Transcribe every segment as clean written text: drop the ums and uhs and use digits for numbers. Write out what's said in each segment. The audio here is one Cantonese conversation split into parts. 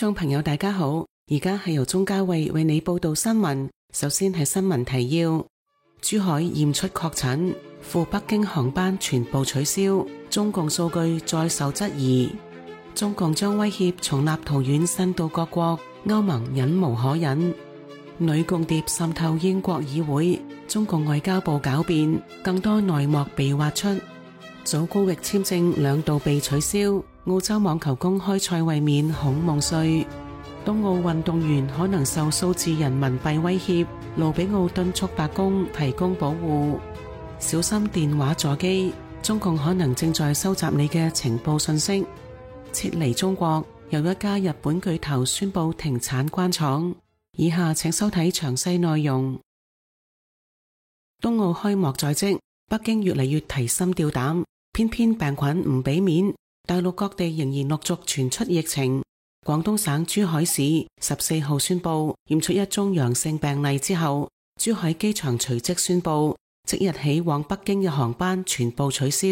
眾朋友大家好，而家係由鍾嘉慧為你報道新聞。首先係新聞提要：珠海驗出確診，赴北京航班全部取消，中共數據再受質疑。中共將威脅從立陶宛伸到各國，歐盟忍無可忍。女共諜滲透英國議會，中共外交部狡辯，更多內幕被挖出。祖高域簽證2度被取消，澳洲網球公開賽衛冕孔夢碎。東奧運動員可能受數字人民幣威脅，盧比奧敦促白宮提供保護。小心電話座機，中共可能正在收集你嘅情報信息。撤離中國，又一家日本巨頭宣布停產關廠。以下請收睇詳細內容。東奧開幕在即，北京越嚟越提心吊膽，偏偏病菌唔俾面，大陸各地仍然陸續傳出疫情。廣東省珠海市14號宣布驗出一宗陽性病例之後，珠海機場隨即宣布即日起往北京嘅航班全部取消。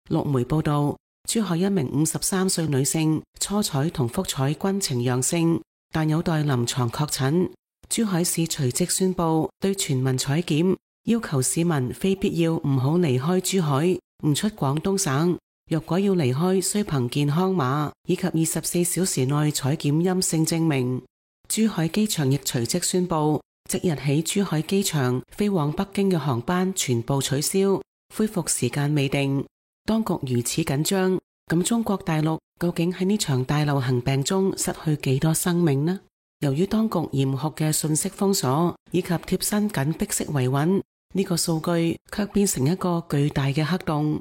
陸媒報道，珠海一名53歲女性初採同複採均呈陽性，但有待臨床確診。珠海市隨即宣布對全民採檢，要求市民非必要唔好離開珠海，唔出廣東省。若果要離開，需憑健康碼以及24小時內採檢陰性證明。珠海機場亦隨即宣布，即日起珠海機場飛往北京嘅航班全部取消，恢復時間未定。當局如此緊張，咁中國大陸究竟喺呢場大流行病中失去幾多生命呢？由於當局嚴酷嘅信息封鎖以及貼身緊迫式維穩，呢個數據卻變成一個巨大嘅黑洞。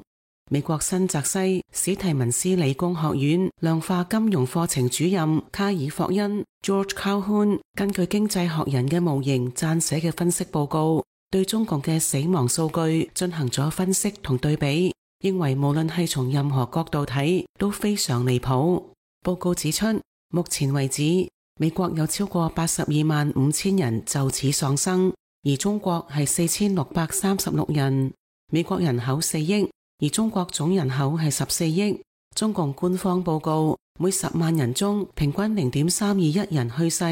美國新澤西史提文斯理工學院量化金融課程主任卡爾霍恩 George Calhoun 根據經濟學人嘅模型撰寫嘅分析報告，對中共嘅死亡數據進行咗分析同對比，認為無論係從任何角度睇都非常離譜。報告指出，目前為止美國有超過82萬5千人就此喪生，而中國係4636人。美國人口4億，而中國總人口係14億。中共官方報告，每10萬人中平均0.321人去世，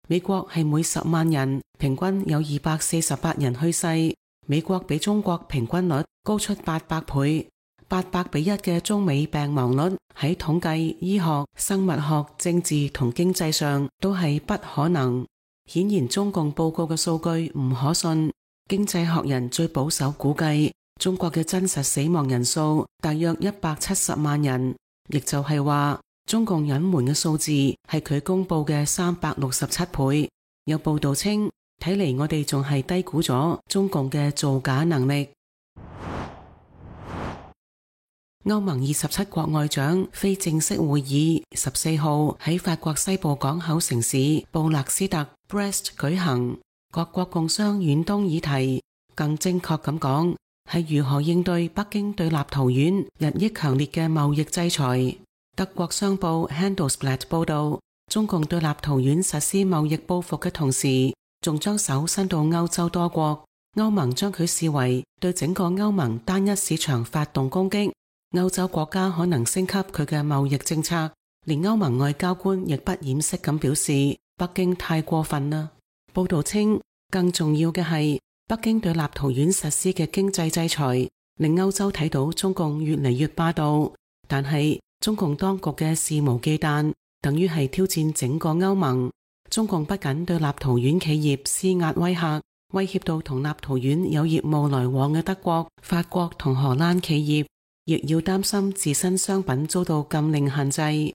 美國係每10萬人平均有248人去世。美國比中國平均率高出800倍，800:1嘅中美病亡率喺統計、醫學、生物學、政治同經濟上都係不可能。顯然中共報告嘅數據唔可信。經濟學人最保守估計，中國嘅真實死亡人數大約170萬人，亦就係話中共隱瞞嘅數字係佢公布嘅367倍。有報道稱，睇嚟我哋仲係低估咗中共嘅造假能力。歐盟27國外長非正式會議14號喺法國西部港口城市布勒斯特 Brest 舉行，各國共商遠東議題，更正確咁講係如何應對北京對立陶宛日益強烈嘅貿易制裁。德國商報 Handelsblatt 報道，中共對立陶宛實施貿易報復嘅同時，仲將手伸到歐洲多國。歐盟將佢視為對整個歐盟單一市場發動攻擊。歐洲國家可能升級佢嘅貿易政策，連歐盟外交官亦不掩飾咁表示，北京太過分啦。報道稱，更重要嘅係，北京對立陶宛實施嘅經濟制裁，令歐洲睇到中共越嚟越霸道。但係中共當局嘅肆無忌憚，等於係挑戰整個歐盟。中共不僅對立陶宛企業施壓威嚇，威脅到同立陶宛有業務來往嘅德國、法國同荷蘭企業，亦要擔心自身商品遭到禁令限制。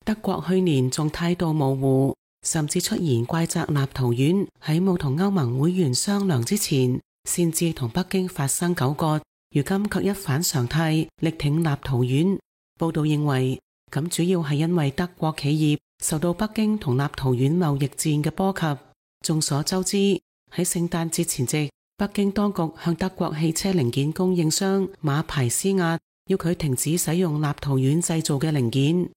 德國去年仲態度模糊，甚至出言怪責立陶宛喺冇同歐盟會員商量之前，擅自同北京發生糾葛，如今卻一反常態，力挺立陶宛。報道認為，咁主要係因為德國企業受到北京同立陶宛貿易戰嘅波及。眾所周知，喺聖誕節前夕，北京當局向德國汽車零件供應商馬牌施壓，要佢停止使用立陶宛製造嘅零件。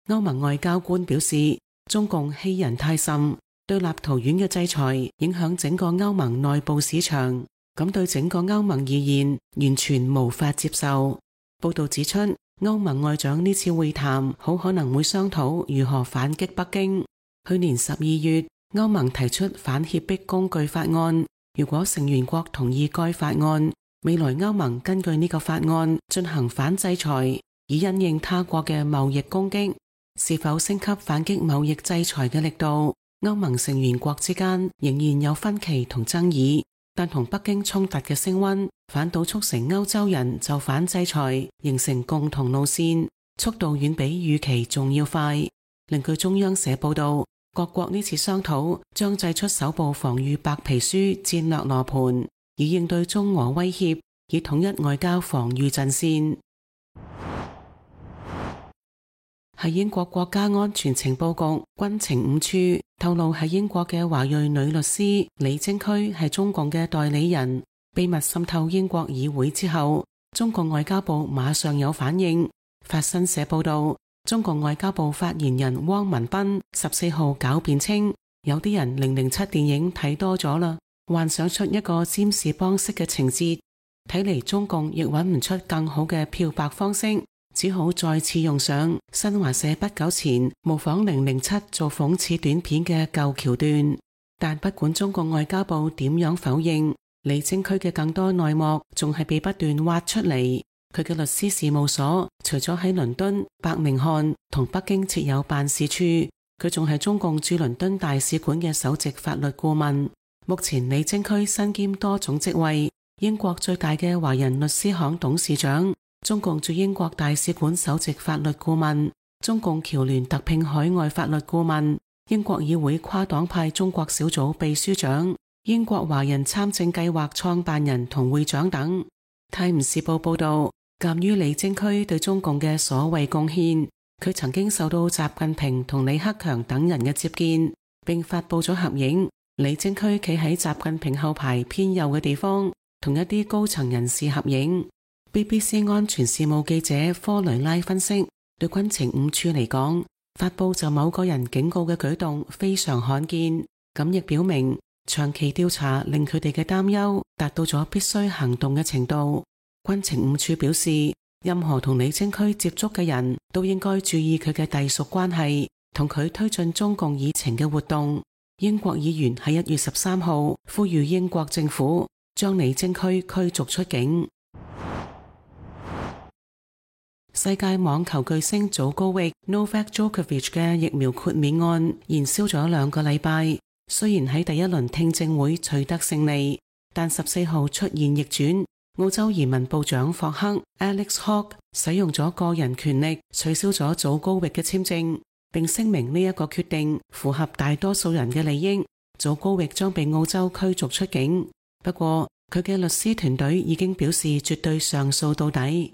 歐盟外交官表示，中共欺人太甚，對立陶宛嘅制裁影響整個歐盟內部市場，咁對整個歐盟而言完全無法接受。報道指出，歐盟外長呢次會談好可能會商討如何反擊北京。去年12月，歐盟提出反脅迫工具法案，如果成員國同意該法案，未來歐盟根據呢個法案進行反制裁，以因應他國嘅貿易攻擊。是否升級反擊貿易制裁嘅力度，歐盟成員國之間仍然有分歧同爭議，但同北京衝突嘅升溫，反倒促成歐洲人就反制裁形成共同路線，速度遠比預期仲要快。另據中央社報道，各國呢次商討將製出首部防禦白皮書戰略羅盤，以應對中俄威脅，以統一外交防禦陣線。喺英國國家安全情報局軍情五處透露，喺英國嘅華裔女律師李貞駒係中共嘅代理人，秘密滲透英國議會之後，中國外交部馬上有反應。法新社報道，中國外交部發言人汪文斌14號狡辯稱，有啲人007電影睇多咗啦，幻想出一個占士邦式嘅情節，睇嚟中共亦揾唔出更好嘅漂白方式，只好再次用上新華社不久前模仿007做諷刺短片嘅舊橋段。但不管中國外交部點樣否認，李貞駒嘅更多內幕仲係被不斷挖出嚟。佢嘅律師事務所除咗喺倫敦、伯明翰同北京設有辦事處，佢仲係中共駐倫敦大使館嘅首席法律顧問。目前李貞駒身兼多種職位，英國最大嘅華人律師行董事長，中共駐英國大使館首席法律顧問，中共僑聯特聘海外法律顧問，英國議會跨黨派中國小組秘書長，英國華人參政計劃創辦人同會長等。泰晤士報報道，鑒於李貞駒對中共嘅所謂貢獻，佢曾經受到習近平同李克強等人嘅接見，並發佈咗合影。李貞駒企喺習近平後排偏右嘅地方，同一啲高層人士合影。BBC 安全事務記者科雷拉分析，對軍情五處嚟講，發佈就某個人警告嘅舉動非常罕見，咁亦表明長期調查令佢哋嘅擔憂達到咗必須行動嘅程度。軍情五處表示，任何同李貞駒接觸嘅人都應該注意佢嘅隸屬關係，同佢推進中共議程嘅活動。英國議員喺1月13號呼籲英國政府將李貞駒驅逐出境。世界網球巨星祖高域 Novak Djokovic 嘅疫苗豁免案燃燒咗2個禮拜，雖然喺第一輪聽證會取得勝利，但14號出現逆轉。澳洲移民部長霍克 Alex Hawke 使用咗個人權力取消咗祖高域嘅簽證，並聲明呢一個決定符合大多數人嘅利益。祖高域將被澳洲驅逐出境，不過佢嘅律師團隊已經表示絕對上訴到底。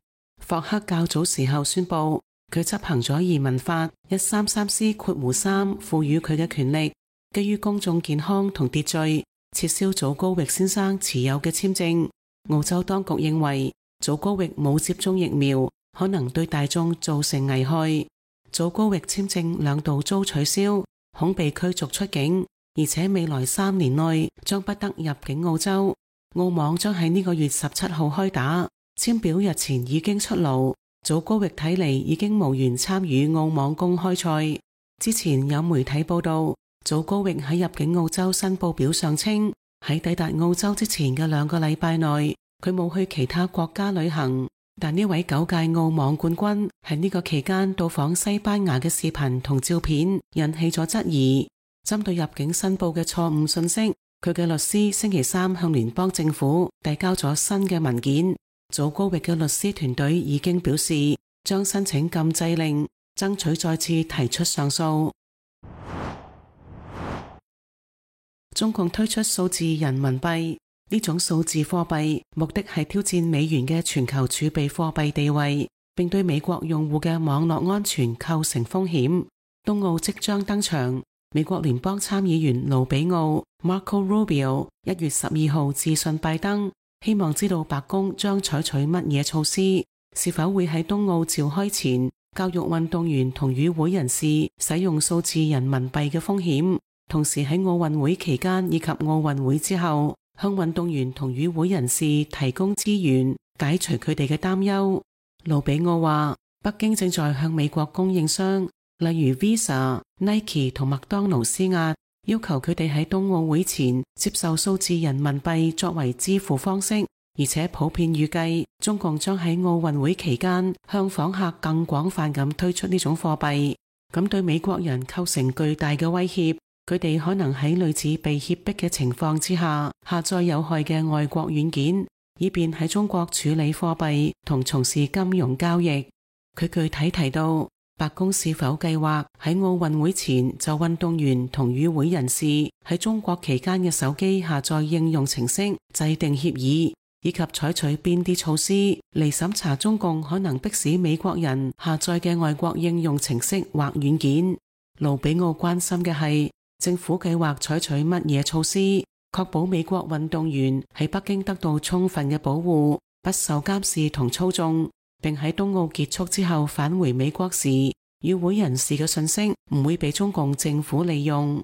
霍克較早時候宣布，佢執行咗移民法133C(3) 賦予佢嘅權力，基於公眾健康同秩序，撤銷祖高域先生持有嘅簽證。澳洲當局認為祖高域冇接種疫苗，可能對大眾造成危害。祖高域簽證2度遭取消，恐被驅逐出境，而且未來3年內將不得入境澳洲。澳網將喺呢個月17號開打，簽表日前已經出爐。祖高域睇嚟已經無緣參與澳網公開賽。之前有媒體報道，祖高域喺入境澳洲申報表上稱，喺抵達澳洲之前嘅2個禮拜內，佢冇去其他國家旅行。但呢位9屆澳網冠軍喺呢個期間到訪西班牙嘅視頻同照片引起咗質疑。針對入境申報嘅錯誤信息，佢嘅律師星期3向聯邦政府遞交咗新嘅文件。祖高域嘅律師團隊已經表示將申請禁制令，爭取再次提出上訴。中共推出數字人民幣，呢種數字貨幣目的係挑戰美元嘅全球儲備貨幣地位，並對美國用戶嘅網絡安全構成風險。冬奧即將登場，美國聯邦參議員盧比奧 Marco Rubio 1月12號致信拜登，希望知道白宮將採取乜嘢措施，是否會喺冬奧召開前教育運動員同與會人士使用數字人民幣嘅風險，同時喺奧運會期間以及奧運會之後向運動員同與會人士提供資源，解除佢哋嘅擔憂。盧比奧話，北京正在向美國供應商例如 Visa、Nike 同麥當勞施壓，要求佢哋喺冬奧會前接受數字人民幣作為支付方式，而且普遍預計中共將喺奧運會期間向訪客更廣泛咁推出呢種貨幣，咁對美國人構成巨大嘅威脅。佢哋可能喺類似被脅迫嘅情況之下，下載有害嘅外國軟件，以便喺中國處理貨幣同從事金融交易。佢具體提到，白宮是否計劃喺奧運會前就運動員同與會人士喺中國期間嘅手機下載應用程式制定協議，以及採取邊啲措施嚟審查中共可能迫使美國人下載嘅外國應用程式或軟件。盧比奧關心嘅係，政府計劃採取乜嘢措施，確保美國運動員喺北京得到充分嘅保護，不受監視同操縱，並喺冬奧結束之後返回美國時，與會人士嘅信息唔會被中共政府利用。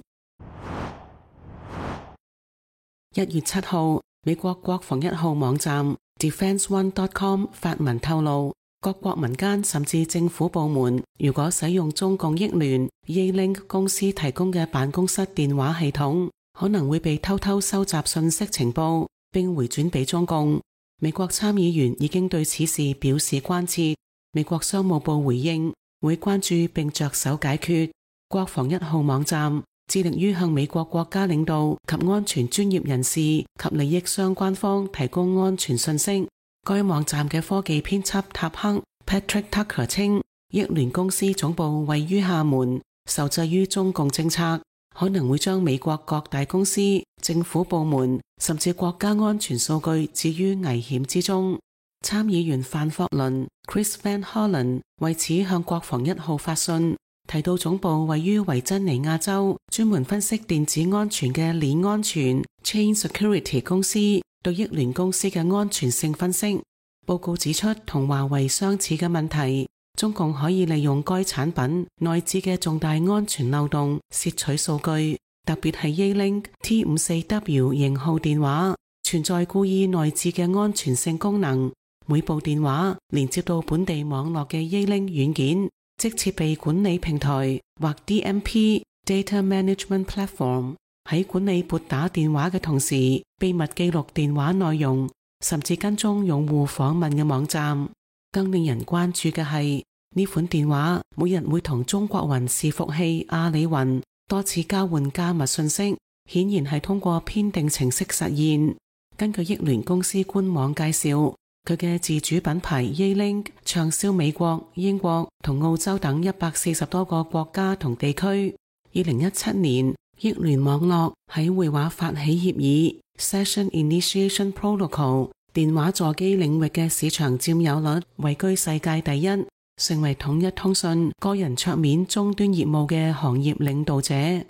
1月7號，美國國防1號網站 DefenseOne.com 發文透露，各國民間甚至政府部門，如果使用中共益聯 Yealink 公司提供嘅辦公室電話系統，可能會被偷偷收集信息情報，並回轉俾中共。美國參議員已經對此事表示關切。美國商務部回應，會關注並着手解決。國防1號網站致力於向美國國家領導及安全專業人士及利益相關方提供安全信息。該網站嘅科技編輯塔克 Patrick Tucker 稱，益聯公司總部位於廈門，受制於中共政策，可能會將美國各大公司、政府部門甚至國家安全數據置於危險之中。參議員范霍倫 Chris Van Hollen 為此向國防1號發信，提到總部位於維珍尼亞州，專門分析電子安全嘅鏈安全 Chain Security 公司對益聯公司嘅安全性分析。報告指出，同華為相似嘅問題，中共可以利用該產品內置嘅重大安全漏洞竊取數據，特別係 Yealink T54W 型號電話存在故意內置嘅安全性功能。每部電話連接到本地網絡嘅 Yealink 軟件，即設備管理平台或 DMP Data Management Platform， 喺管理撥打電話嘅同時，秘密記錄電話內容，甚至跟蹤用戶訪問嘅網站。更令人關注嘅係，呢款電話每日會同中國雲伺服器阿里雲多次交換加密信息，顯然係通過編定程式實現。根據益聯公司官網介紹，佢嘅自主品牌 Yealink 暢銷美國、英國同澳洲等140多個國家同地區。2017年，益聯網絡喺會話發起協議 Session Initiation Protocol 電話座機領域嘅市場佔有率位居世界第一，成為統一通訊個人桌面終端業務嘅行業領導者。1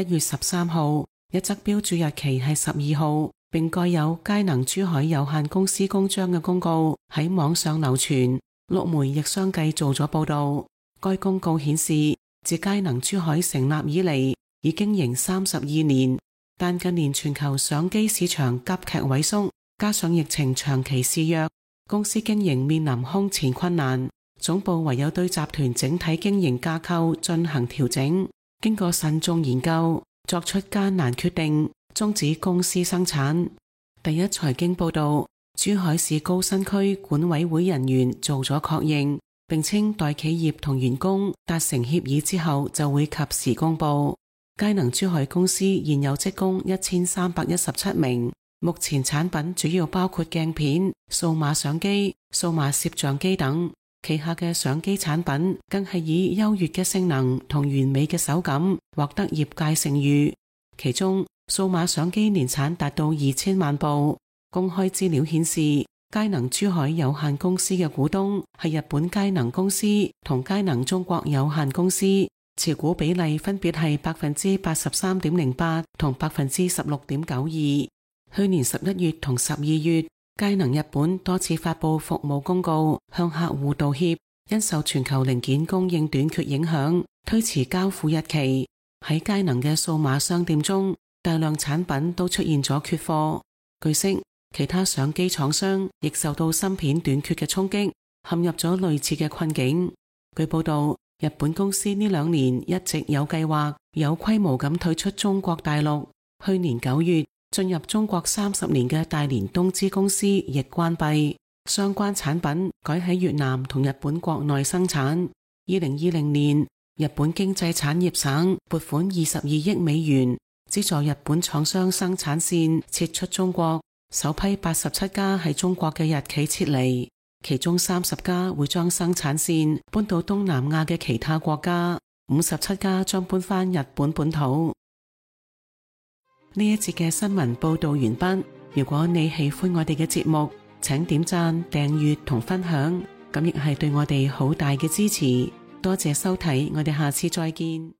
月13號，一則標注日期係12號，並蓋有佳能珠海有限公司公章嘅公告喺網上流傳，陸媒亦相繼做咗報道。該公告顯示，自佳能珠海成立以嚟，已經營32年，但近年全球相機市場急劇萎縮，加上疫情長期肆虐，公司經營面臨空前困難，總部唯有對集團整體經營架構進行調整。經過慎重研究，作出艱難決定，終止公司生產。第一財經報道，珠海市高新區管委會人員做咗確認，並稱待企業同員工達成協議之後就會及時公布。佳能珠海公司現有職工1317名，目前產品主要包括鏡片、數碼相機、數碼攝像機等。旗下嘅相機產品更係以優越嘅性能同完美嘅手感獲得業界盛譽。其中數碼相機年產達到2000萬部。公開資料顯示，佳能珠海有限公司嘅股東係日本佳能公司同佳能中國有限公司，持股比例分別係83.08%同16.92%。去年11月同12月，佳能日本多次發布服務公告，向客戶道歉，因受全球零件供應短缺影響，推遲交付日期。喺佳能嘅數碼商店中，大量產品都出現咗缺貨。據悉，其他相機廠商亦受到芯片短缺嘅衝擊，陷入咗類似嘅困境。據報道，日本公司呢2年一直有計劃、有規模咁退出中國大陸。去年9月，進入中國30年嘅大連東芝公司亦關閉，相關產品改喺越南同日本國內生產。2020年，日本經濟產業省撥款22億美元，資助日本廠商生產線撤出中國，首批87家喺中國嘅日企撤離，其中30家會將生產線搬到東南亞嘅其他國家，57家將搬返日本本土。呢一節嘅新聞報道完畢。如果你喜歡我哋嘅節目，請點讚、訂閱同分享，咁亦係對我哋好大嘅支持。多謝收睇，我哋下次再見。